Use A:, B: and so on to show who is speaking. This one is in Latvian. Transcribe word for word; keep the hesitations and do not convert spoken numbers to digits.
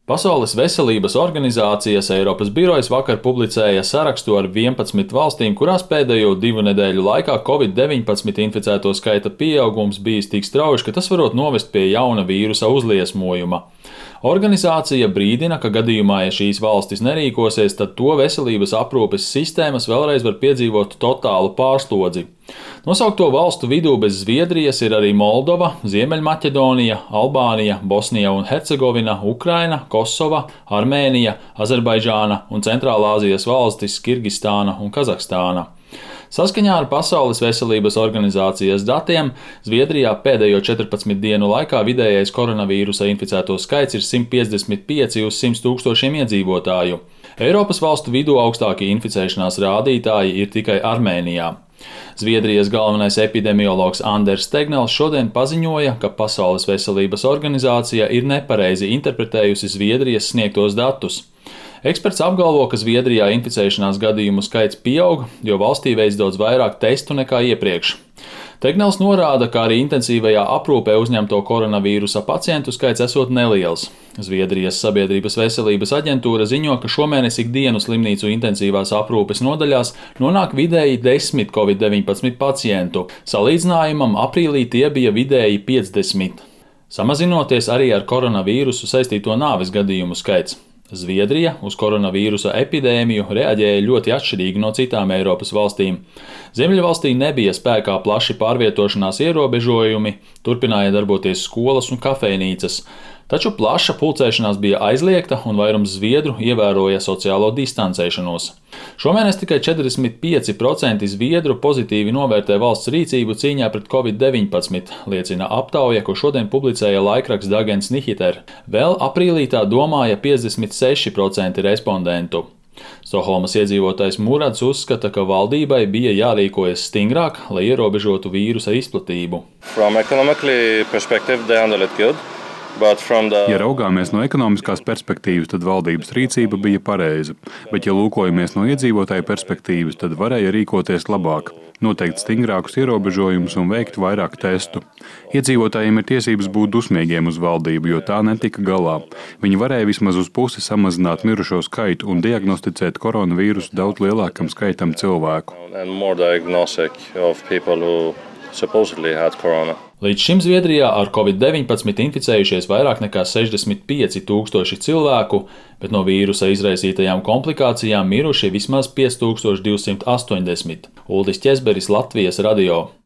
A: Pasaules veselības organizācijas Eiropas birojas vakar publicēja sarakstu ar vienpadsmit valstīm, kurās pēdējo divu nedēļu laikā covid deviņpadsmit inficēto skaita pieaugums bijis tik strauji, ka tas varot novest pie jauna vīrusa uzliesmojuma. Organizācija brīdina, ka gadījumā, ja šīs valstis nerīkosies, tad to veselības aprūpes sistēmas vēlreiz var piedzīvot totālu pārslodzi. Nosaukto valstu vidū bez Zviedrijas ir arī Moldova, Ziemeļmaķedonija, Albānija, Bosnija un Hercegovina, Ukraina, Kosova, Armēnija, Azerbaidžāna un Centrālāzijas valstis Kirgistāna un Kazahstāna. Saskaņā ar Pasaules veselības organizācijas datiem, Zviedrijā pēdējo četrpadsmit dienu laikā vidējais koronavīrusa inficēto skaits ir simt piecdesmit pieci uz simt tūkstošiem iedzīvotāju. Eiropas valstu vidū augstākie inficēšanās rādītāji ir tikai Armēnijā. Zviedrijas galvenais epidemiologs Anders Tegnells šodien paziņoja, ka Pasaules veselības organizācija ir nepareizi interpretējusi Zviedrijas sniegtos datus. Eksperts apgalvo, ka Zviedrijā inficēšanās gadījumu skaits pieaug, jo valstī veic daudz vairāk testu nekā iepriekš. Tegnells norāda, ka arī intensīvajā aprūpē uzņemto koronavīrusa pacientu skaits esot neliels. Zviedrijas sabiedrības veselības aģentūra ziņo, ka šomēnes ikdienu slimnīcu intensīvās aprūpes nodaļās nonāk vidēji desmit covid deviņpadsmit pacientu. Salīdzinājumam aprīlī tie bija vidēji piecdesmit. Samazinoties arī ar koronavīrusu saistīto nāves gadījumu skaits. Zviedrija uz koronavīrusa epidēmiju reaģēja ļoti atšķirīgi no citām Eiropas valstīm. Ziemeļvalstī nebija spēkā plaši pārvietošanās ierobežojumi, turpināja darboties skolas un kafejnīcas, taču plaša pulcēšanās bija aizliegta un vairums zviedru ievēroja sociālo distancēšanos. Šomēnes tikai četrdesmit pieci procenti zviedru pozitīvi novērtē valsts rīcību cīņā pret covid deviņpadsmit, liecina aptauja, ko šodien publicēja laikraksts Dagens Nyheter. Vēl aprīlī tā domāja piecdesmit seši procenti respondentu. Stokholmas iedzīvotājs Murads uzskata, ka valdībai bija jārīkojas stingrāk, lai ierobežotu vīrusa izplatību.
B: Ja raugāmies no ekonomiskās perspektīvas, tad valdības rīcība bija pareiza, bet ja lūkojamies no iedzīvotāju perspektīvas, tad varēja rīkoties labāk, noteikt stingrākus ierobežojumus un veikt vairāk testu. Iedzīvotājiem ir tiesības būt dusmīgiem uz valdību, jo tā netika galā. Viņi varēja vismaz uz pusi samazināt mirušo skaitu un diagnosticēt koronavīrusu daudz lielākam skaitam cilvēku.
A: Līdz šim Zviedrijā ar covid deviņpadsmit inficējušies vairāk nekā sešdesmit pieci tūkstoši cilvēku, bet no vīrusa izraisītajām komplikācijām miruši vismaz pieci tūkstoši divsimt astoņdesmit. Uldis Ķezberis, Latvijas radio.